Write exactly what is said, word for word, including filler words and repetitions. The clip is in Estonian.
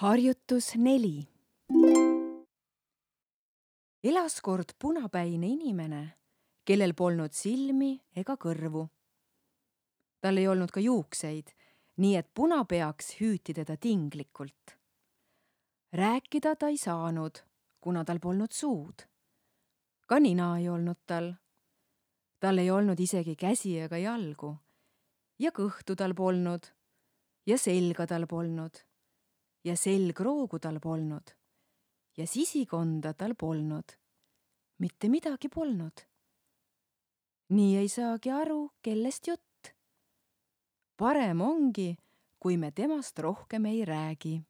Harjutus neli. Elas kord punapäine inimene, kellel polnud silmi ega kõrvu. Tal ei olnud ka juukseid, nii et punapeaks hüüti teda tinglikult. Rääkida ta ei saanud, kuna tal polnud suud. Ka nina ei olnud tal. Tal ei olnud isegi käsi ega jalgu. Ja kõhtu tal polnud. Ja selga tal polnud. Ja selgroogu tal polnud. Ja sisikonda tal polnud. Mitte midagi polnud. Nii ei saagi aru, kellest jutt. Parem ongi, kui me temast rohkem ei räägi.